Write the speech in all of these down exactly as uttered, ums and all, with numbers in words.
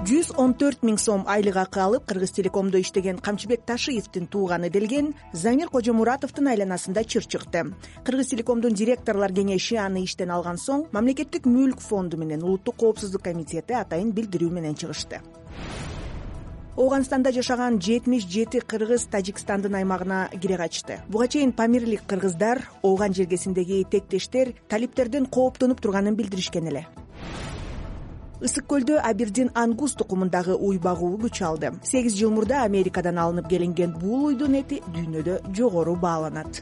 жүз он төрт миң сом айлык акы алып Кыргыз Телекомдо иштеген Камчыбек Ташиевдин тууганы делген Замир Кожомуратовдун айланасында чыр чыкты. Кыргыз Телекомдун директорлор кеңеши аны иштен алган соң Мамлекеттик мүлк фонду менен Улуттук коопсуздук комитети атайын билдирүү менен чыгышты. Ооганстанда жашаган жетимиш жети кыргыз Тажикстандын аймагына кире качты. Буга чейин памирлик кыргыздар Ооган жергесиндеги тектештер талиптерден кооптонуп турганын билдиришкен эле. Ысык көлдө Абердин ангус тукумундагы уй багуу күч алды. сегиз жыл мурда Америкадан алынып келинген бул уйдун эти дүйнөдө жогору бааланат.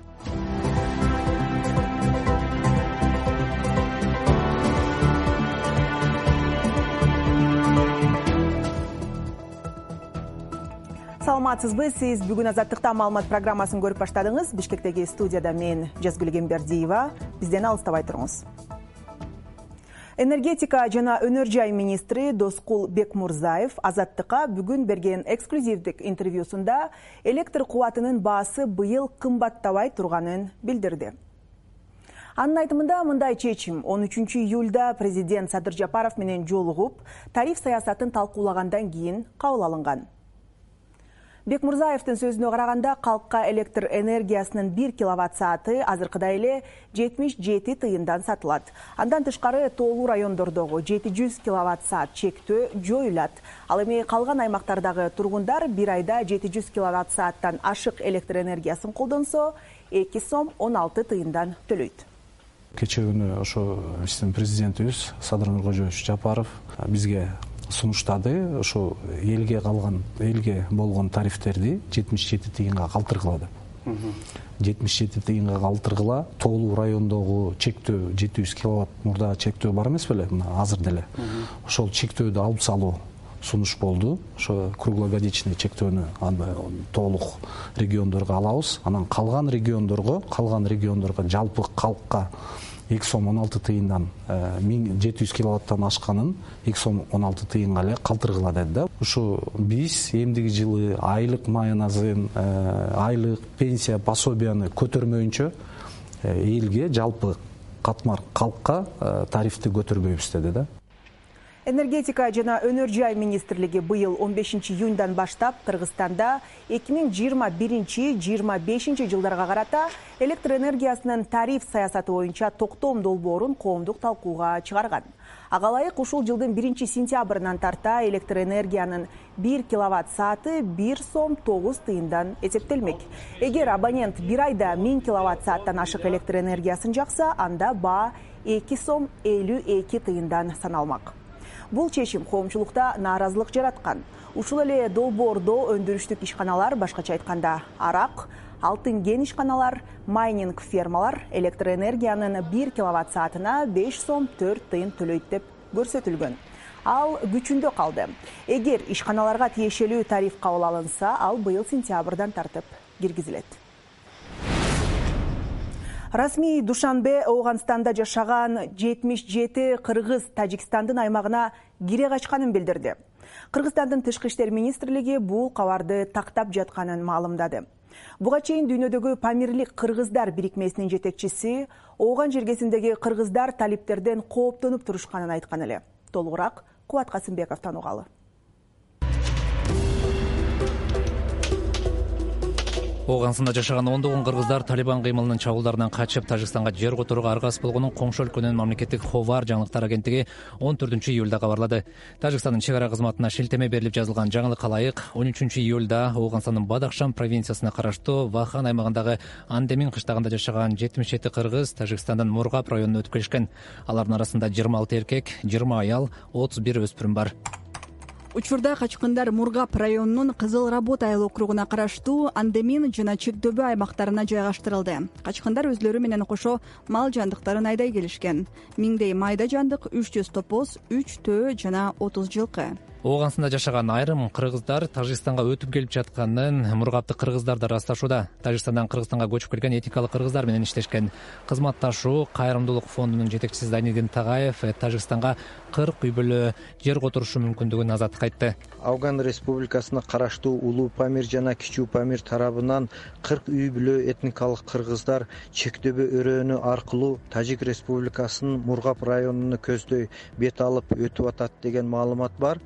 Саламатсызбы, сиз бүгүн Азаттыкта маалымат программасын көрүп баштадыңыз. Бишкектеги студияда мен Жазгүл Эмбердиева. Бизден алыстабай туруңуз. Энергетика жана өнөр жай министри Доскул Бекмурзаев Азаттыкка бүгүн берген эксклюзивдик интервьюсунда электр кубатынын баасы быйыл кымбаттабай турганын билдирди. Анын айтымында мындай чечим он үчүнчү июлда президент Садыр Жапаров менен жолугуп, тариф саясатын талкуулагандан кийин кабыл алынган. Бекмурзаевдин сөзүнө караганда, калкка электр энергиясынын бир киловатт сааты азыркыдай эле жетимиш жети тыйындан сатылат. Андан тышкары тоолуу райондордогу жети жүз киловатт саат чектөө жоюлат. Ал эми калган аймактардагы тургундар бир айда жети жүз киловатт сааттан ашык электр энергиясын колдонсо, эки сом он алты тыйындан төлөйт. Кечээ күнү ошо биздин президентибиз Садыр Нуркожоевич Жапаров бизге сунуштады, ошо элге калган, элге болгон тарифтерди жетимиш жети тыйынга калтыргыла деп. жетимиш жети тыйынга калтыргыла, тоолуу райондогу чектөө жети жүз киловатт мурда чектөө бар эмес беле, мына азыр деле. Ошол чектөөдү алып салуу сунуш болду. Ошо круглогодичный чектөөнү толук региондорго алабыз. Анан калган региондорго, калган региондорго жалпы калкка эки сом он алты тыйындан жети жүз киловаттан ашканын эки сом он алты тыйынга эле калтыргыла деди да. Ушу биз эмдиги жылы айлык майоназын, айлык пенсия пособияны көтөрмөйүнчө элге жалпы катмар калкка тарифти көтөрбөйбүз деди да. Энергетика жана өнөр жай министрлиги быйыл он бешинчи июндан баштап Кыргызстанда эки миң жыйырма биринчи — жыйырма бешинчи жылдарга карата электр энергиясынын тариф саясаты боюнча токтом долбоорун коомдук талкууга чыгарган. Ага ылайык ушул жылдын биринчи сентябрынан тарта электр энергиянын бир киловатт сааты бир сом тогуз тыйындан эсептелмек. Эгер абонент бир айда миң киловатт сааттан ашык электр энергиясын жакса, анда баа эки сом элүү эки тыйындан саналмак. Бул чечим коомчулукта нааразылык жараткан. Ушул эле долбоордо өндүрүштүк ишканалар, башкача айтканда арак, алтын кен ишканалар, майнинг фермалар электр энергиянын бир киловатт саатына беш сом төрт тыйын төлөйт деп көрсөтүлгөн. Ал күчүндө калды. Эгер ишканаларга тиешелүү тариф кабыл алынса, ал быйыл сентябрдан тартып киргизилет. Расмий Душанбе Ооганстанда жашаган жетимиш жети кыргыз Тажикстандын аймагына кире качканын билдирди. Кыргызстандын тышкы иштер министрлиги бул кабарды тактап жатканын маалымдады. Буга чейин дүйнөдөгү памирлик кыргыздар бирикмесинин жетекчиси Ооган жергесиндеги кыргыздар талиптерден кооптонуп турушканын айткан эле. Толугураак Кубат Касымбековдон угалы. Ооганстанда жашаган ондогон кыргыздар Талибан кыймылынын чабуулдарынан качып Тажикстанга жер которууга аргасыз болгонун коңшу өлкөнүн мамлекеттик Ховар жаңылыктар агенттиги он төртүнчү июлда кабарлады. Тажикстандын чек ара кызматына шилтеме берилип жазылган жаңылыкка ылайык он үчүнчү июлда Ооганстандын Бадахшан провинциясына караштуу Вахан аймагындагы Андемин кыштагында жашаган жетимиш жети кыргыз Тажикстандын Мургап районуна өтүп келишкен. Алардын арасында жыйырма алты эркек, жыйырма аял, отуз бир өспүрүм бар. Учурда качкындар Мургап районунун Кызыл Работ айыл округуна караштуу Андемин жана Чекдөбө аймактарына жайгаштырылды. Качкындар өзлөрү менен кошо мал жандыктарын айдай келишкен. Миңдей майда жандык, үч жүз топоз, үч төө жана отуз жылкы. Ооганстанда жашаган айрым кыргыздар Тажикстанга өтүп келип жатканын Мургапты кыргыздар да ырасташууда. Тажикстандан Кыргызстанга көчүп келген этикалык кыргыздар менен иштешкен. Кызматташуу кайрымдуулук фондунун жетекчиси Зайнидин Тагаев Тажикстанга кырк үй бүлө жер которушу мүмкүндүгүн азаттык айтты. Афган Республикасына караштуу Улуу Памир жана Кичүү Памир тарабынан кырк үй бүлө этникалык кыргыздар Чекдөбө өрөөнү аркылуу Тажик Республикасынын Мургап районуна көздөй бет алып өтүп атат деген маалымат бар.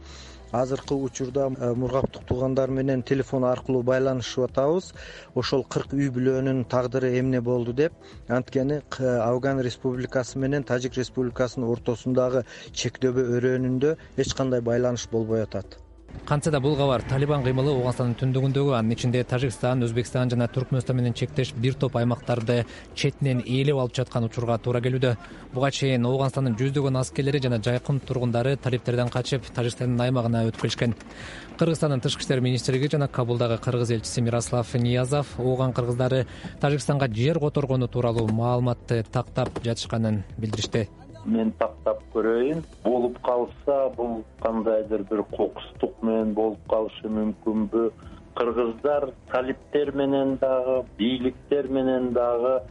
азыркы учурда мургаптык туугандар менен телефон аркылуу байланышып атабыз. Ошол кырк үй бүлөнүн тагдыры эмне болду деп. Анткени Афган Республикасы менен Тажик Республикасынын ортосундагы чектөбө өрөөнүндө эч кандай байланыш болбой атат. Кантсе да бул кабар Талибан кыймылы Ооганстандын түндүгүндөгү, анын ичинде Тажикстан, Өзбекстан жана Түркмөнстан менен чектеш бир топ аймактарды четинен ээлеп алып жаткан учурга туура келүүдө. Буга чейин Ооганстандын жүздөгөн аскерлери жана жайкын тургундары талиптерден качып Тажикстандын аймагына өтүп келишкен. Кыргызстандын тышкы иштер министрлиги жана Кабулдагы кыргыз элчиси Мирослав Ниязов Ооган кыргыздары Тажикстанга жер которгону тууралуу маалыматты тактап жатышканын билдиришти. Мен тактап көрөйүн. Болуп калса, бул кандайдыр бир кокустук менен болуп калышы мүмкүнбү? Кыргыздар талиптер менен дагы, бийликтер менен дагы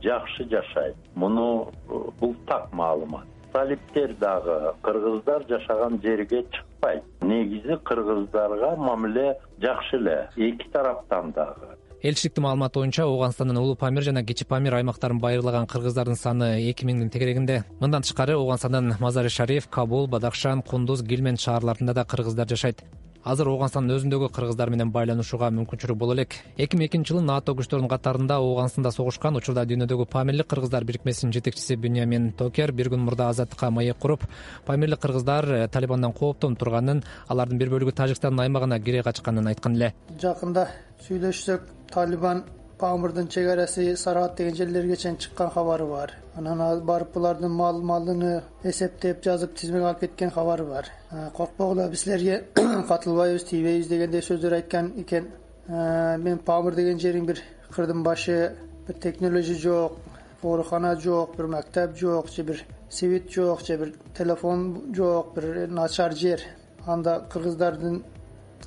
жакшы жашайт. Муну бул так маалымат. Талиптер дагы кыргыздар жашаган жерге чыкпайт. Негизи кыргыздарга мамиле жакшы эле, эки тараптан дагы. Элчиликтин маалыматы боюнча Ооганстандын Улуу Памир жана Кичи Памир аймактарын байырлаган кыргыздардын саны эки миңдин тегерегинде. Мындан тышкары Ооганстандын Мазари Шариф, Кабул, Бадахшан, Кундуз, Гилмен шаарларында да кыргыздар жашайт. Азыр Ооганстандын өзүндөгү кыргыздар менен байланышууга мүмкүнчүлүк боло элек. эки миң экинчи жылы НАТО күчтөрүнүн катарында Ооганстанда согушкан учурда дүйнөдөгү Памирлик кыргыздар бирикмесинин жетекчиси Бюньямин Токер бир күн мурда азаттыкка маек куруп, Памирлик кыргыздар Талибандан кооптонуп турганын, алардын бир бөлүгү Тажикстандын аймагына кире качканын айткан эле. Жакында сүйлөшсөк, Талибан Памирдин чек арасы Сарат деген жерлерге чейин чыккан кабары бар. Анан барып булардын мал малыны эсептеп жазып тизмеге алып кеткен кабары бар. Коркпогула, биз силерге катылбайбыз, тийбейбиз дегендей сөздөр айткан экен. Мен Памир деген жерин бир кырдын башы, бир технология жок, оорукана жок, бир мектеп жок, же бир свет жок, же бир телефон жок, бир начар жер. Анда кыргыздардын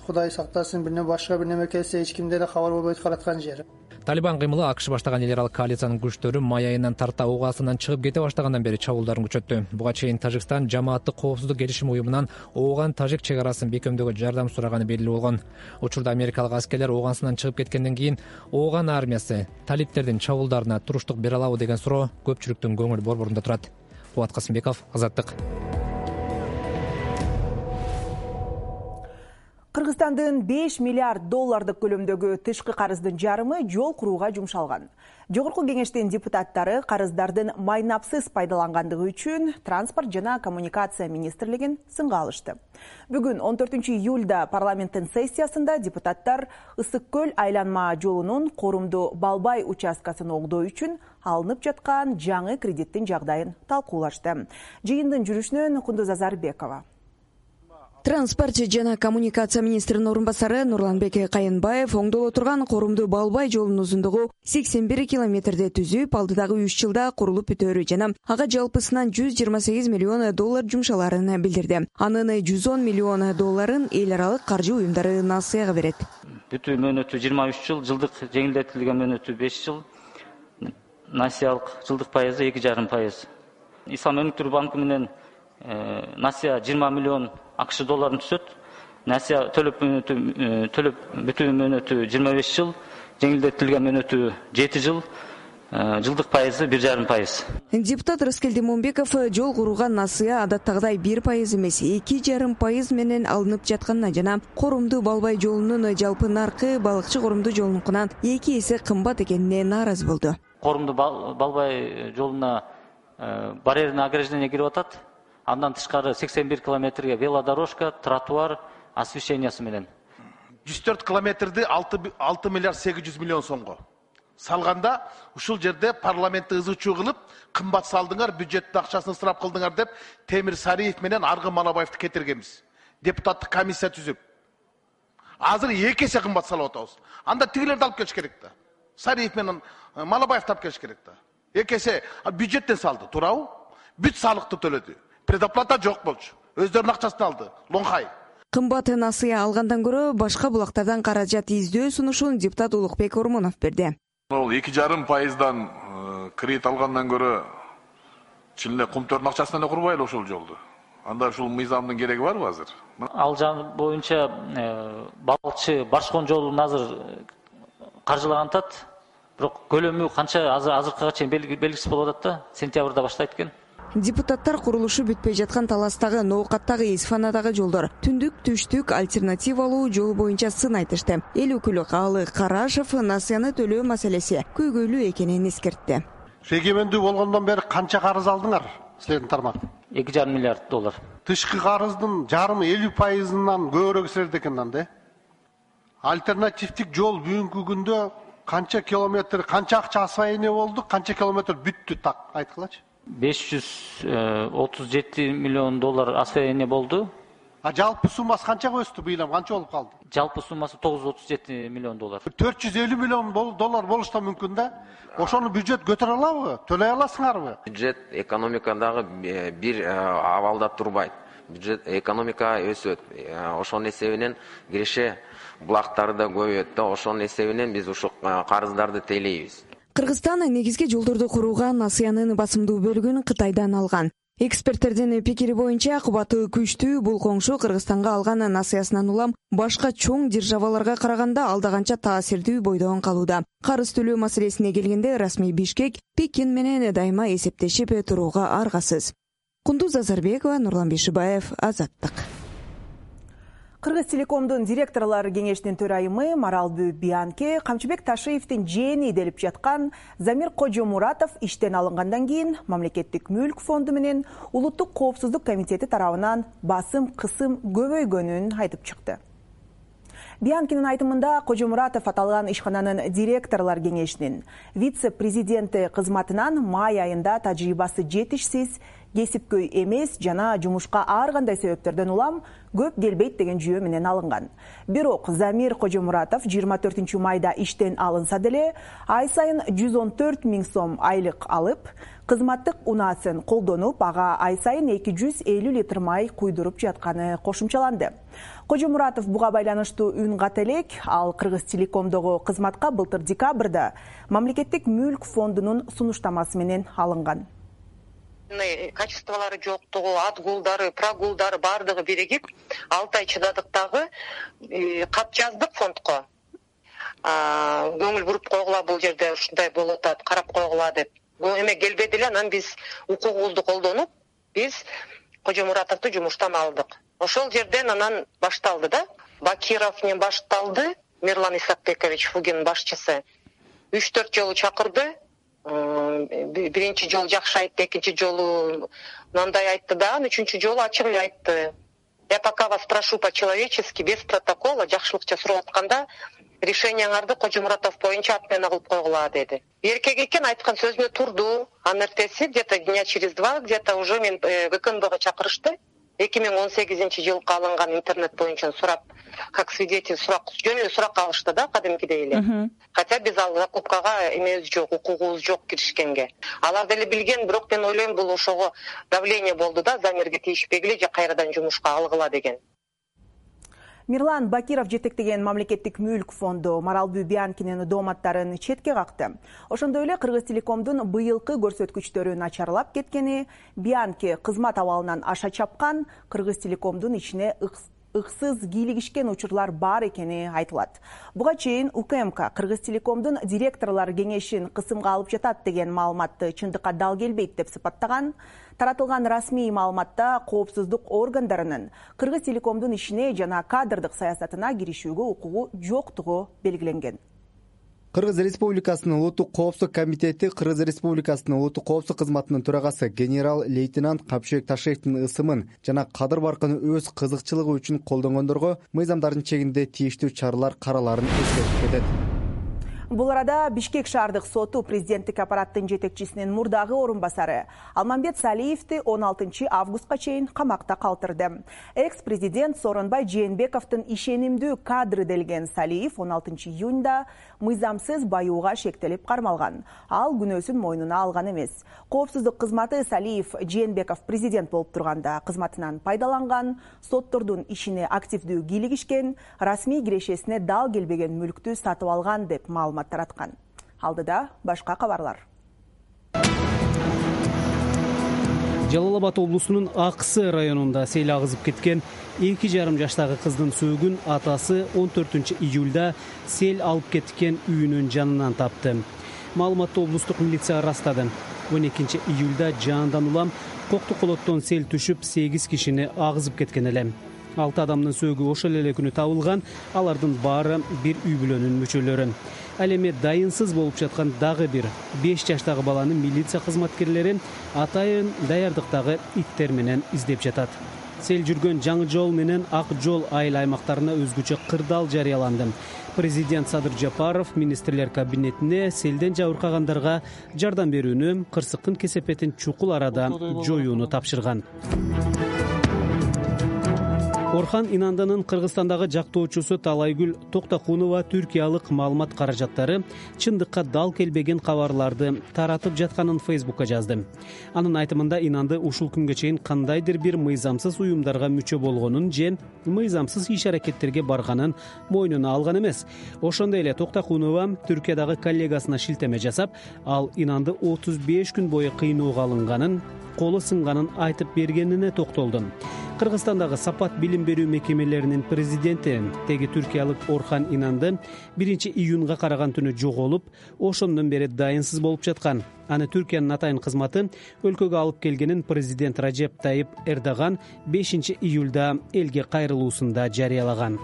Кудай сактасын, бирне башка бир неме келсе эч кимде да кабар болбойт калаткан жер. Талибан кыймылы АКШ баштаган эл аралык коалициянын күчтөрү май айынан тарта ого астынан чыгып кете баштагандан бери чабуулдарын күчөттү. Буга чейин Тажикстан жамааттык коопсуздук келишими уюмунан Ооган Тажик чек арасын бекемдөөгө жардам сураганы белгилүү болгон. Учурда америкалык аскерлер Ооганстан чыгып кеткенден кийин Ооган армиясы талиптердин чабуулдарына туруштук бере алабы деген суроо көпчүлүктүн көңүл борборунда турат. Кубат Касымбеков, Азаттык. Кыргызстандын беш миллиард доллардык көлөмдөгү тышкы карыздын жарымы жол курууга жумшалган. Жогорку кеңештин депутаттары карыздардын майнапсыз пайдалангандыгы үчүн Транспорт жана коммуникация министрлигин сынга алышты. Бүгүн он төртүнчү июлда парламенттин сессиясында депутаттар Ысык көл айланма жолунун Корумду Балбай участкасын огдоо үчүн алынып жаткан жаңы кредиттин жагдайын талкуулашты. Жыйындын жүрүшүнөн Кундуз Азарбекова. Транспорт жана коммуникация министринин орун басары Нурланбек Кайынбаев оңдоло турган Корумду Балбай жолунун узундугу сексен бир километрди түзүп, алдыдагы үч жылда курулуп бүтөөрү жана ага жалпысынан жүз жыйырма сегиз миллион доллар жумшаларын билдирди. Анын жүз он миллион долларын эл аралык каржы уюмдары насыяга берет. Бүтүү мөөнөтү жыйырма үч жыл, жылдык жеңилдетилген мөөнөтү беш жыл, насыялык жылдык пайызы эки жарым пайыз. Ислам өнүктүрүү банкы менен насыя жыйырма миллион АКШ долларын түшөт. Насыя төлөп мөөнөтү төлөп бүтүү мөөнөтү жыйырма беш жыл, жеңилдетилген мөөнөтү жети жыл, жылдык пайызы бир жарым пайыз. Депутат Рыскелди Момбеков жол курууга насыя адаттагыдай бир пайыз эмес, эки жарым пайыз менен алынып жатканына жана Корумду Балбай жолунун жалпы наркы балыкчы Корумду жолунукунан эки эсе кымбат экенине нааразы болду. Корумду Балбай жолуна барьерный ограждение кирип атат. Андан тышкары сексен бир километрге велодорожка, тротуар, освещениясы менен. жүз төрт километрди алты миллиард сегиз жүз миллион сомго салганда, ушул жерде парламентти ызычуу кылып, кымбат салдыңар, бюджеттин акчасын ысырап кылдыңар деп Темир Сариев менен Аргын Манабаевди кетиргенбиз. Депутаттык комиссия түзүп. Азыр эки эсе кымбат салып атабыз. Анда тигилерди алып келиш керек да. Сариев менен Манабаевди алып келиш керек да. Эки эсе бюджеттен салды, туурабы? Бүт салыкты төлөдү. Предоплата жок болчу. Өздөрүнүн акчасын алды. Лоңхай. Кымбат насыя алгандан көрө башка булактардан каражат издөө сунушун депутат Улукбек Ормонов берди. Ол эки жарым пайыздан кредит алгандан көрө чын эле кумтөрдүн акчасынан эле курбайлы ошол жолду. Анда ушул мыйзамдын кереги барбы азыр? Ал жан боюнча балыкчы Башкон жолун азыр каржылаган атат. Бирок көлөмү канча азыр азыркыга чейин белгисиз болуп атат да, сентябрда баштайт экен. Депутаттар курулушу бүтпөй жаткан Таластагы, Ноокаттагы, Исфанадагы жолдор түндүк түштүк альтернативалуу жол боюнча сын айтышты. Эл өкүлү Каалы Карашев насыяны төлөө маселеси көйгөйлүү экенин эскертти. Эгемендүү болгондон бери канча карыз алдыңар силердин тармак? эки жарым миллиард доллар. Тышкы карыздын жарымы элүү пайызынан көбүрөөк силерде экен анда. Альтернативдик жол бүгүнкү күндө канча километр, канча акча освоение болду, канча километр бүттү так айткылачы. беш жүз отуз жети миллион доллар освоение болду. А жалпы суммасы канчага өстү быйыл, канча болуп калды? Жалпы суммасы тогуз жүз отуз жети миллион доллар. төрт жүз элүү миллион доллар болуш да мүмкүн да. Ошону бюджет көтөрө алабы? Төлөй аласыңарбы? Бюджет экономикадагы бир абалда турбайт. Бюджет экономика өсөт. Ошонун эсебинен киреше булактары да көбөйөт да. Ошонун эсебинен биз ушул карыздарды тейлейбиз. Кыргызстан негизги жолдорду курууга насыянын басымдуу бөлүгүн Кытайдан алган. Эксперттердин пикири боюнча кубаты күчтүү бул коңшу Кыргызстанга алган насыясынан улам башка чоң державаларга караганда алда канча таасирдүү бойдон калууда. Карыз төлөө маселесине келгенде расмий Бишкек Пекин менен дайыма эсептешип турууга аргасыз. Кундуз Азарбекова, Нурлан Бишибаев, Азаттык. Кыргыз Телекомдун директорлор кеңешинин төрайымы Маралбү Биянке Камчыбек Ташиевдин жээни делип жаткан Замир Кожомуратов иштен алынгандан кийин Мамлекеттик мүлк фонду менен Улуттук коопсуздук комитети тарабынан басым кысым көбөйгөнүн айтып чыкты. Биянкинин айтымында Кожомуратов аталган ишкананын директорлор кеңешинин вице-президенти кызматынан май айында тажрыйбасы жетишсиз, кесипкөй эмес жана жумушка ар кандай себептерден улам көп келбейт деген жүйө менен алынган. Бирок Замир Кожомуратов жыйырма төртүнчү майда иштен алынса деле ай сайын жүз он төрт миң сом айлык алып, кызматтык унаасын колдонуп, ага ай сайын эки жүз элүү литр май куйдуруп жатканы кошумчаланды. Кожомуратов буга байланыштуу үн ката элек, ал Кыргыз Телекомдогу кызматка былтыр декабрда Мамлекеттик мүлк фондунун сунуштамасы менен алынган. Качестволары жоктугу, атгулдары, прогулдары бардыгы биригип, алты ай чыдадык дагы кат жаздык фондко. Көңүл буруп койгула, бул жерде ушундай болуп атат, карап койгула деп. Бул эме келбеди эле, анан биз укугубузду колдонуп, биз Кожомуратовду жумуштан алдык. Ошол жерден анан башталды да. Бакировден башталды, Мирлан Исакбекович Фугин башчысы. үч төрт жолу чакырды. Биринчи жолу жакшы айтты, экинчи жолу мындай айтты да, үчүнчү жолу ачык эле айтты. Я пока вас прошу по-человечески, без протокола, жакшылыкча сурап атканда, решениеңарды Кожомуратов боюнча отмена кылып койгула деди. Эркек экен, айткан сөзүнө турду. Анын эртеси где-то дня через два где-то уже мен ВКНБга чакырышты. эки миң он сегизинчи жылга алынган интернет боюнча сурап, как свидетель сурак, жөн эле сурак алышты да, кадимкидей эле. Хотя биз ал закупкага эмебиз жок, укугубуз жок киришкенге. Алар деле билген, бирок мен ойлойм бул ошого давление болду да, Замирге тийишпегиле же кайрадан жумушка алгыла деген. Мирлан Бакиров жетектеген Мамлекеттик мүлк фонду Маралбү Биянкинин дооматтарын четке какты. Ошондой эле Кыргыз Телекомдун быйылкы көрсөткүчтөрү начарлап кеткени, Биянки кызмат абалынан аша чапкан, Кыргыз Телекомдун ичине ыксыз кийлигишкен учурлар бар экени айтылат. Буга чейин УКМК Кыргыз Телекомдун директорлор кеңешин кысымга алып жатат деген маалыматты чындыкка дал келбейт деп сыпаттаган. Таратылган расмий маалыматта коопсуздук органдарынын Кыргыз Телекомдун ишине жана кадрдык саясатына киришүүгө укугу жоктугу белгиленген. Кыргыз Республикасынын Улуттук коопсуздук комитети Кыргыз Республикасынын улуттук коопсуздук кызматынын төрагасы генерал-лейтенант Камчыбек Ташиевдин ысымын жана кадыр баркын өз кызыкчылыгы үчүн колдонгондорго мыйзамдардын чегинде тийиштүү чаралар караларын эскертип кетет. Бул арада Бишкек шаардык соту президенттик аппараттын жетекчисинин мурдагы орун басары Алмамбет Салиевди он алтынчы августка чейин камакта калтырды. Экс-президент Сооронбай Жээнбековдун ишенимдүү кадры делген Салиев он алтынчы июнда мыйзамсыз баюуга шектелип кармалган. Ал күнөөсүн мойнуна алган эмес. Коопсуздук кызматы Салиев Жээнбеков президент болуп турганда кызматынан пайдаланган, соттордун ишине активдүү кийлигишкен, расмий кирешесине дал келбеген мүлктү сатып алган деп маалымат тараткан. Алдыда башка кабарлар. Жалал Абад облусунун Аксы районунда сел агызып кеткен эки жарым жаштагы кыздын сөөгүн атасы он төртүнчү июлда сел алып кеткен үйүнүн жанынан тапты. Маалыматты облустук милиция ырастады. он экинчи июлда жаандан улам Кокту колоттон сел түшүп сегиз кишини агызып кеткен эле. алты адамдын сөөгү ошол эле күнү табылган, алардын баары бир үй бүлөнүн мүчөлөрү. Ал эми дайынсыз болуп жаткан дагы бир беш жаштагы баланы милиция кызматкерлери атайын даярдыктагы иттер менен издеп жатат. Сел жүргөн Жаңы жол менен Ак жол айыл аймактарына өзгөчө кырдаал жарыяланды. Президент Садыр Жапаров министрлер кабинетине селден жабыркагандарга жардам берүүнү, кырсыктын кесепетин чукул арада жоюуну тапшырган. Орхан Инанданын Кыргызстандагы жактоочусу Талайгүл Токтокунова түркиялык маалымат каражаттары чындыкка дал келбеген кабарларды таратып жатканын Фейсбукка жазды. Анын айтымында Инанды ушул күнгө чейин кандайдыр бир мыйзамсыз уюмдарга мүчө болгонун же мыйзамсыз иш-аракеттерге барганын мойнуна алган эмес. Ошондой эле Токтокунова Түркиядагы коллегасына шилтеме жасап, ал Инанды отуз беш күн бою кыйноого алынганын, колу сынганын айтып бергенине токтолду. Кыргызстандагы Сапат билим берүү мекемелеринин президенти теги түркиялык Орхан Инанды биринчи июнга караган түнү жоголуп, ошондон бери дайынсыз болуп жаткан. Аны Түркиянын атайын кызматы өлкөгө алып келгенин президент Режеп Тайип Эрдоган бешинчи июлда элге кайрылуусунда жарыялаган.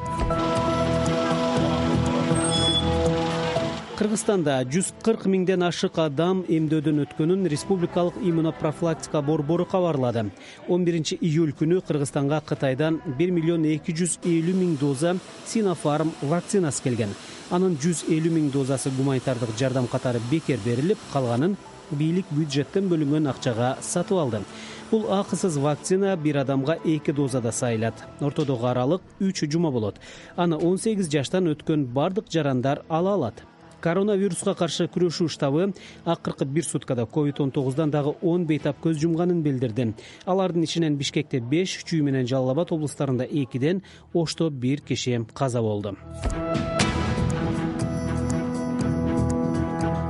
Кыргызстанда жүз кырк миңден ашык адам эмдөөдөн өткөнүн Республикалык иммунопрофилактика борбору кабарлады. он биринчи июль күнү Кыргызстанга Кытайдан бир миллион эки жүз элүү миң доза Синофарм вакцинасы келген. Анын жүз элүү миң дозасы гуманитардык жардам катары бекер берилип, калганын бийлик бюджеттен бөлүнгөн акчага сатып алды. Бул акысыз вакцина бир адамга эки дозада сайылат. Ортодогу аралык үч жума болот. Аны он сегиз жаштан өткөн бардык жарандар ала алат. Коронавируска каршы күрөшүү штабы акыркы бир суткада ковид он тогуздан дагы он бейтап көз жумганын билдирди. Алардын ичинен Бишкекте беш, Чүй менен Жалал Абад облустарында экиден, Ошто бир киши каза болду.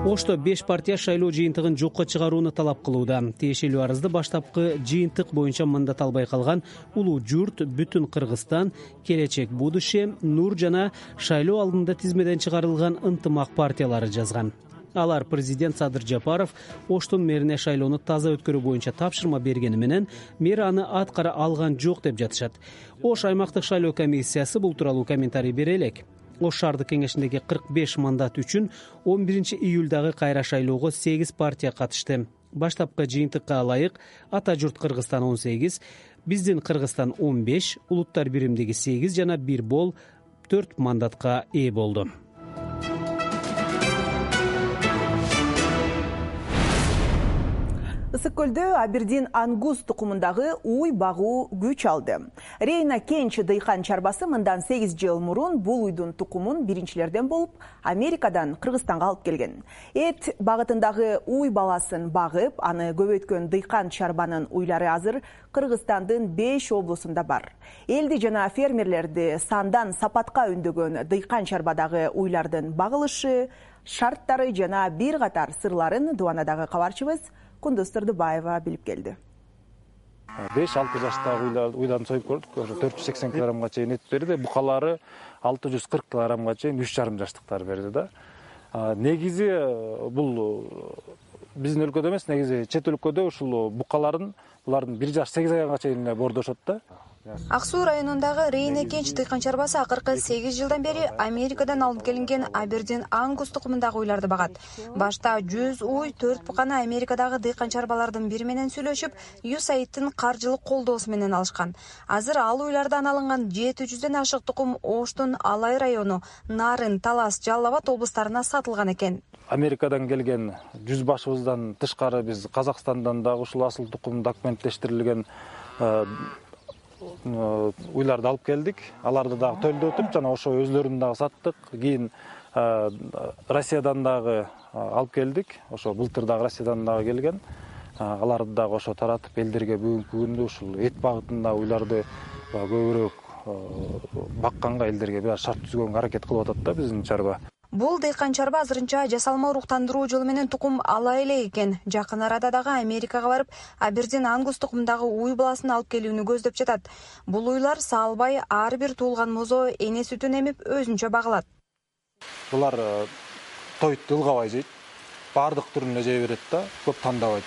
Ошто беш партия шайлоо жыйынтыгын жокко чыгарууну талап кылууда. Тиешелүү арызды баштапкы жыйынтык боюнча мындат албай калган Улуу Журт, Бүтүн Кыргызстан, Келечек Будуще, Нур жана шайлоо алдында тизмеден чыгарылган Ынтымак партиялары жазган. Алар президент Садыр Жапаров Оштун мэрине шайлоону таза өткөрүү боюнча тапшырма бергени менен мэр аны аткара алган жок деп жатышат. Ош аймактык шайлоо комиссиясы бул тууралуу комментарий бере элек. Ош шаардык кеңешиндеги кырк беш мандат үчүн он биринчи июлдагы кайра шайлоого сегиз партия катышты. Баштапкы жыйынтыкка ылайык Ата журт Кыргызстан он сегиз, Биздин Кыргызстан он беш, Улуттар биримдиги сегиз жана бир бол төрт мандатка ээ болду. Ысык көлдө Абердин ангус тукумундагы уй багуу күч алды. Рейна Кенч дыйкан чарбасы мындан сегиз жыл мурун бул уйдун тукумун биринчилерден болуп Америкадан Кыргызстанга алып келген. Эт багытындагы уй баласын багып, аны көбөйткөн дыйкан чарбанын уйлары азыр Кыргызстандын беш облусунда бар. Элди жана фермерлерди сандан сапатка үндөгөн дыйкан чарбадагы уйлардын багылышы, шарттары жана бир катар сырларын Дуанадагы кабарчыбыз Кундуз Турдубаева билип келди. беш алты жаштагы уйларын союп көрдүк. төрт жүз сексен килограммга чейин эт берди. Букалары алты жүз кырк килограммга чейин үч жарым жаштыктар берди да. Негизи бул биздин өлкөдө эмес, негизи чет өлкөдө ушул букаларын булардын бир жаш сегиз айга чейин бордошот да. Ак Суу районундагы Рейна Кенч дыйкан чарбасы акыркы сегиз жылдан бери Америкадан алып келинген Абердин ангус тукумундагы уйларды багат. Башта жүз уй төрт буканы Америкадагы дыйкан чарбалардын бири менен сүйлөшүп, ю эс эй ай дин каржылык колдоосу менен алышкан. Азыр ал уйлардан алынган жети жүздөн ашык тукум Оштун Алай району, Нарын, Талас, Жалал Абад облустарына сатылган экен. Америкадан келген жүз башыбыздан тышкары биз Казакстандан дагы ушул асыл тукум документтештирилген уйларды алып келдик. Аларды дагы төлдөтүп, жана ошо өзлөрүн дагы саттык. Кийин Россиядан дагы алып келдик. Ошо былтыр дагы Россиядан дагы келген. Аларды дагы ошо таратып элдерге бүгүнкү күндө ушул эт багытында уйларды көбүрөөк бакканга элдерге бир шарт түзгөнгө аракет кылып атат да биздин чарба. Бул дыйкан чарба азырынча жасалма уруктандыруу жолу менен тукум ала элек экен. Жакын арада дагы Америкага барып, Абердин ангус тукумундагы уй баласын алып келүүнү көздөп жатат. Бул уйлар салбай ар бир туулган мозо эне сүтүн эмип өзүнчө багылат. Булар тойду ылгабай жейт. баардык түрүн эле жей берет да, көп тандабайт.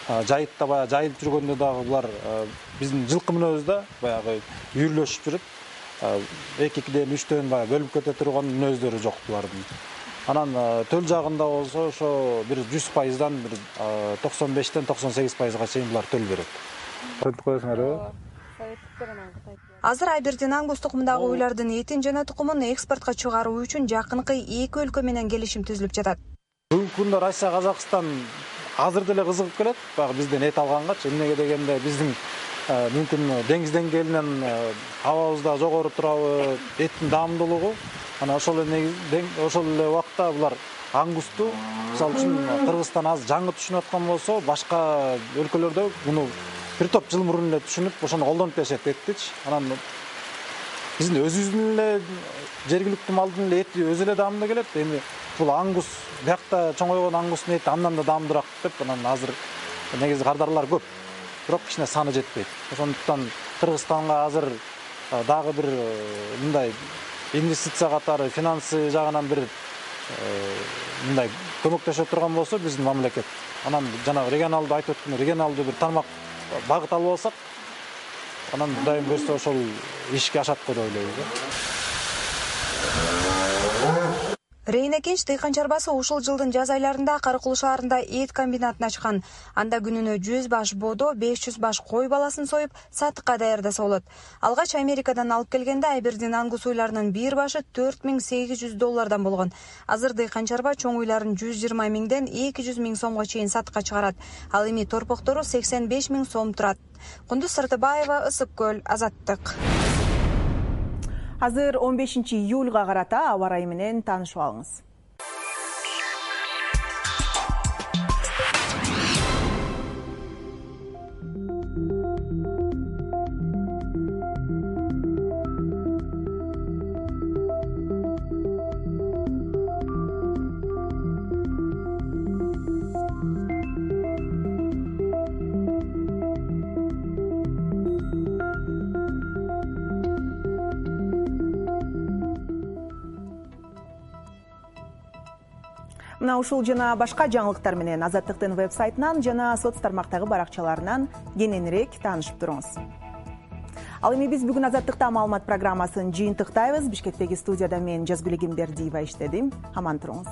Жайытта баягы жайылып жүргөндө дагы булар биздин жылкы мүнөзү да баягы үйүрлөшүп жүрүп, эки-экиден үчтөн баягы бөлүп кете турган мүнөздөрү жок булардын. Анан төл жагында болсо ошо бир жүз пайыздан бир токсон бештен токсон сегиз пайызга чейин булар төл берет. Көрүп коесуңарбы? Азыр Абердин ангус тукумундагы уйлардын этин жана тукумун экспортко чыгаруу үчүн жакынкы эки өлкө менен келишим түзүлүп жатат. Бүгүнкү күндө Россия, Казакстан азыр деле кызыгып келет, баягы бизден эт алгангачы. Эмнеге дегенде биздин мүмкүн деңиз деңгээлинен абабызда жогору турабы, эттин даамдуулугу. Анан ошол эле ошол эле убакта булар ангусту, мисалы үчүн Кыргызстан азыр жаңы түшүнүп аткан болсо, башка өлкөлөрдө муну бир топ жыл мурун эле түшүнүп, ошону колдонуп беришет эттичи. Анан биздин өзүбүздүн эле жергиликтүү малдын эле эти өзү эле даамдуу келет. Эми бул ангус, биякта чоңойгон ангустун эти андан да даамдуураак деп, анан азыр негизи кардарлар көп, бирок кичине саны жетпейт. Ошондуктан Кыргызстанга азыр дагы бир мындай инвестиция катары, финансы жагынан бир мындай көмөктөшө турган болсо биздин мамлекет, анан жанагы регионалдуу айтып өткөн регионалдуу бир тармак багыт алып алсак, анан Кудайым берсе ошол ишке ашат деп ойлойбуз. Рейна Кенч дыйкан чарбасы ушул жылдын жаз айларында Карыкул шаарында эт комбинатын ачкан. Анда күнүнө жүз баш бодо, беш жүз баш кой баласын союп, сатыкка даярдаса болот. Алгач Америкадан алып келгенде Абердин ангус уйларынын бир башы төрт миң сегиз жүз доллардан болгон. Азыр дыйкан чарба чоң уйларын жүз жыйырма миңден эки жүз миң сомго чейин сатыкка чыгарат. Ал эми торпоктору сексен беш миң сом турат. Кундуз Сартыбаева, Ысык көл, Азаттык. Азыр он бешинчи июлга карата аба ырайы менен таанышып алыңыз. Мына ушул жана башка жаңылыктар менен Азаттыктын вебсайтынан жана соц тармактагы баракчаларынан кененирээк таанышып туруңуз. Ал эми биз бүгүн Азаттыкта маалымат программасын жыйынтыктайбыз. Бишкектеги студияда мен Жазгүл Эгембердиева иштедим. Аман туруңуз.